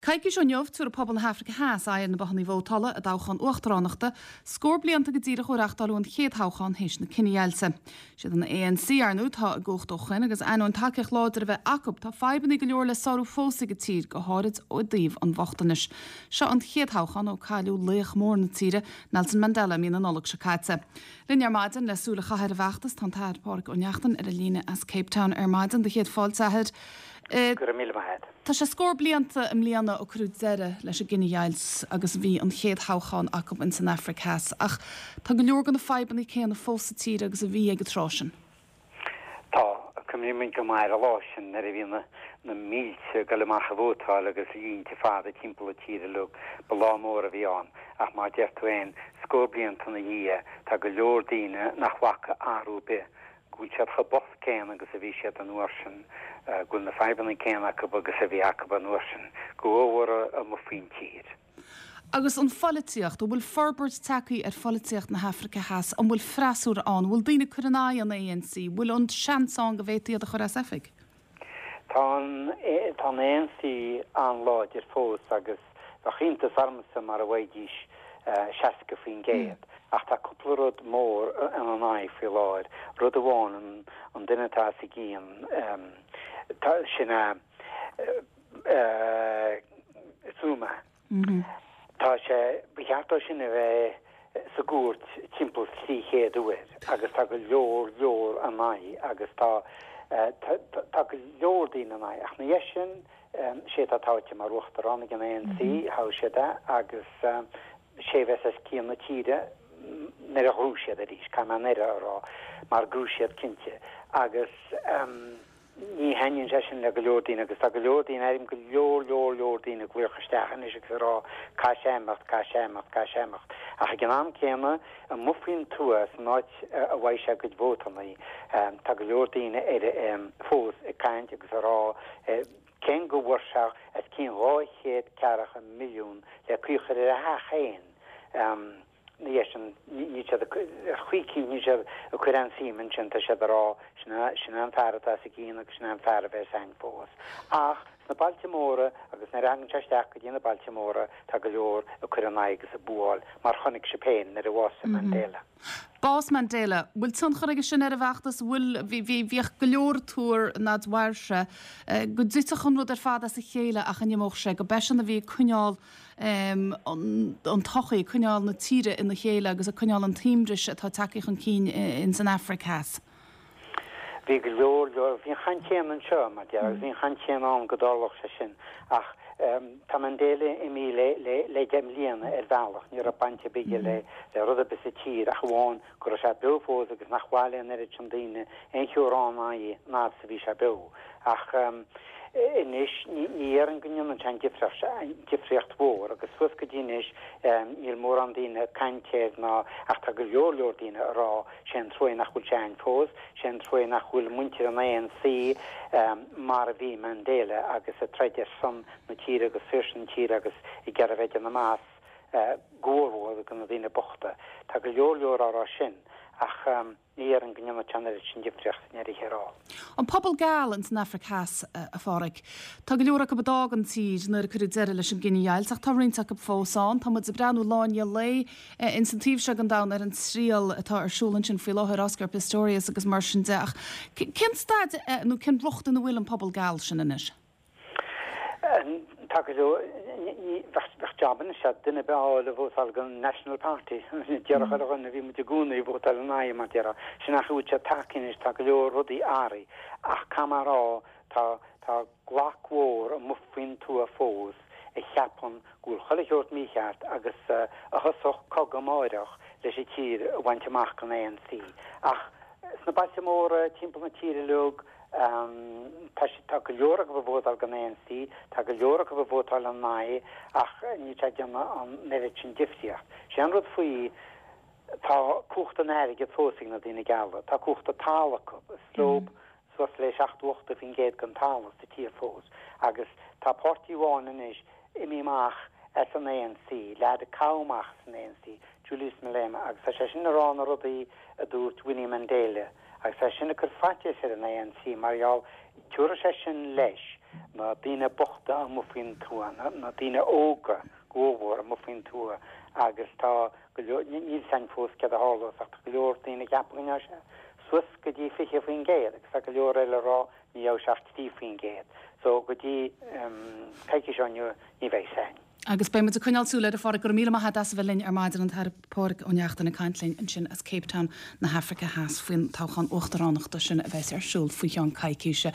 Coicís ó inniu, tabharfaidh pobal na hAfraice Theas aghaidh ar na bothannaí vótála i dtoghchán uachtaránachta, scór blianta go díreach ó reachtáileadh an chéad thoghchán théis na cinedheighilte. Siad an ANC, ar ndóigh, atá i gcumhacht ó shoin agus ainneoin tacaíocht láidir a bheith acu, tá fadhbannaí go leor le sárú fós ag an tír, go háirid i dtaobh an bhochtanais. Seo an chéad thoghchán ó cailleadh laoch mór na tíre, Nelson Mandela, i mí na Nollag seo caite. Linn ar maidin le súil a chaitheamh ar an bhfeachtas, tá an tAthair Páraic Ó Neachtain ar an líne as Cape Town ar maidin. Do chéad fáilte, a Athair. Go raibh míle maith agat. Tá sé scór blianta i mbliana ó cuireadh deireadh leis an gcinedheighilt agus bhí an chéad thoghchán acu ins an Afraic Theas ach tá go leor de na fadhbanna céanna fós sa tír agus a bhí ag an tráth sin. Tá. Cuimhnímid go maith ar an lá sin nuair a bhí na na mílte ag dul amach ag vótáil agus línte fada timpeall na tíre uilig. Ba lá mór a bhí ann ach mar a deir tú féin, scór blianta ina dhiaidh tá go leor daoine nach bhfaca athrú ar bith go bhfuil siad chomh bocht céanna agus a bhí siad an uair sin, go bhfuil na fadhbanna céanna acu agus a bhí acu an uair sin, go mhór amuigh faoin tír. Agus an pholaitíocht, an bhfuil forbairt tagtha ar pholaitíocht na hAfraice Theas? An bhfuil freasúra ann? An bhfuil daoine ag cur in aghaidh an ANC? Bhfuil an seans ann go bhféadfaí iad a chur as oifig? Tá an, tá an ANC an-láidir fós agus bheadh iontas ormsa mara bhfaighidís 60% ach tá cúpla rud mór ina n-aghaidh faoi láthair. Rud amháin, an, an duine atá os a gcionn, tá, sin é Zuma. Tá sé, ba cheart dó sin a bheith sa gcúirt timpeall 300 uair agus tá go leor leor ina aghaidh agus tá, tá go leor daoine ina aghaidh. Ach ina dhiaidh sin, sé atá toghte mar uachtarán ag an ANC, thogh siad é agus sé a bheas os cionn na tíre nuair a ghnóthóidh siad arís, caithfidh mé nuair a rá, mar ghnóthóidh siad cinnte. Agus. Ní thaitníonn sé sin le go leor daoine agus tá go leor daoine, airím go leor, leor, leor daoine ag glaoch isteach anois agus ag rá caithfidh sé imeacht, caithfidh sé imeacht, caithfidh sé imeacht. Ach ag an am céanna, amuigh faoin tuath, san áit a bhfaighidh sé a gcuid vótannaí, tá go leor daoine ar fós ag caint agus ag rá cén go bhfuair sé os cionn 240 milliún le caoi a chur ar a theach féin. Ina dhiaidh sin, níl siad ag, ar chaoi eicínt, níl siad ag cur aon suim ansin, tá siad ag rá, sin é, sin é an fear atá os a gcionn agus sin é an fear a bheas a'inn fós. Ach sna bailte móra agus nuair a thagann sé isteach go dtí na bailte móra, tá go leor ag cur ina aghaidh agus ag búáil, mar chonaic sibh féin nuair a bhásaigh Mandela. Bás Mandela, bhfuil tionchar aige sin ar an bhfeachtas? Bhfuil, bhí, bhí, bhíodh go leor ag tuar nuair a mhair sé, go dtitfeadh an rud ar fad as a chéile ach a n-imeodh sé, go b'eisean a bhí ag coinneáil an tsochaí, ag coinneáil na tíre ina chéile agus ag coinneáil an t-aoibhris atá tagtha chun cinn ins an Afraic Theas. Bhí go leor, leor, bhí an chaint chéanna anseo, mar a déarfá, agus bhí an chaint chéanna ann go dtarlódh sé sin. Ach tá Mandela imithe le, le, le 10 mbliana ar bhealach, ní raibh baint ar bith aige le, le rud ar bith sa tír ach amháin go raibh sé beo fós agus nach mhaith le an oiread sin daoine aon cheo a rá ina aghaidh an fhad is a bhí sé beo. Ach anois ní dhéarfainn go ndéanann sé an difríocht, an difríocht mhór agus suas go dtí anois níl mórán daoine ag caint air ná ach tá go leor leor daoine ag rá sé an truaighe nach bhfuil sé a'inn fós, sé an truaighe nach bhfuil muintir an ANC mar a bhí Mandela agus ag troid ar son na tíre agus saoirse na tíre agus ag iarraidh a bheith ag déanamh amach go mhórmhór do na daoine bochta. Tá go leor leor á rá sin ach ní dhéarfainn go ndéanfadh sé an oiread sin difríocht i ndeireadh thiar thall. An pobal geal ins an Afraic Theas, a Pháraic. Tá go leor acu a d'fhág an tír nuair a cuireadh deireadh leis an gcinedheighilt ach tá roinnt acu fós ann. Tá muid ag breathnú lá i ndiaidh lae ins an taobh seo den domhan ar an triail atá ar siúl ansin faoi láthair, Oscar Pistorius agus mar sin de ach cén staid nó cén riocht ina bhfuil an pobal geal sin anois? Tá go leor, bheadh jab anois ag duine ar bith a fháil a vótáil don National Party. Déarfadh chuile dhuine, bhí muid i gcónaí ag vótáil ina aghaidh mar déarfá. Sin an chaoi a bhfuil sé tagtha anois, tá go leor rudaí athraithe. Ach caithfidh mé a rá, tá, tá glac mhór amuigh faoin tuath fós a cheapann go bhfuil chuile shórt mícheart agus a thosódh cogadh amáireach leis an tír a bhaint amach don ANC. Ach sna bailte móra timpeall na tíre uilig, Tá siad, tá go leor acu ag vótáil don ANC, tá go leor acu ag vótáil ina aghaidh ach níl sé ag déanamh an oiread sin difríocht. Sé an rud faoi, tá cumhacht an airgid fós ag na daoine geala, tá cumhacht an talaimh acu, is leo suas le 70, 80% den talamh sa tír fós agus tá páirtí amháin anois imithe amach as an ANC, leaid a caitheadh amach as an ANC, Julius Malema, agus tá sé sin ag rá na rudaí a dúirt Winnie Mandela. Agus tá sé sin ag cur faitíos ar an ANC mar gheall, tiúrfaidh sé sin leis. Na daoine bochta amuigh faoin tuath, na daoine óga go mórmhór amuigh faoin tuath agus tá go leor, níl a fhios againn fós céard a tharlós ach tá go leor daoine ag ceapadh go ngeobhaidh sé suas go dtí 20% agus tá go leor eile ag rá ní gheobhaidh sé ach 3%. So go dtí coicís ó inniu ní bheidh a fhios againn. Agus beidh muid ag coinneáil súil air, a Pháraic. Go raibh míle maith agat as a bheith linn ar maidin, an tAire Pádraig Ó Neachtain ag caint linn ansin as Cape Town na hAfraice Theas faoin toghchán uachtaránachta sin a bheas ar siúl faoi cheann coicíse.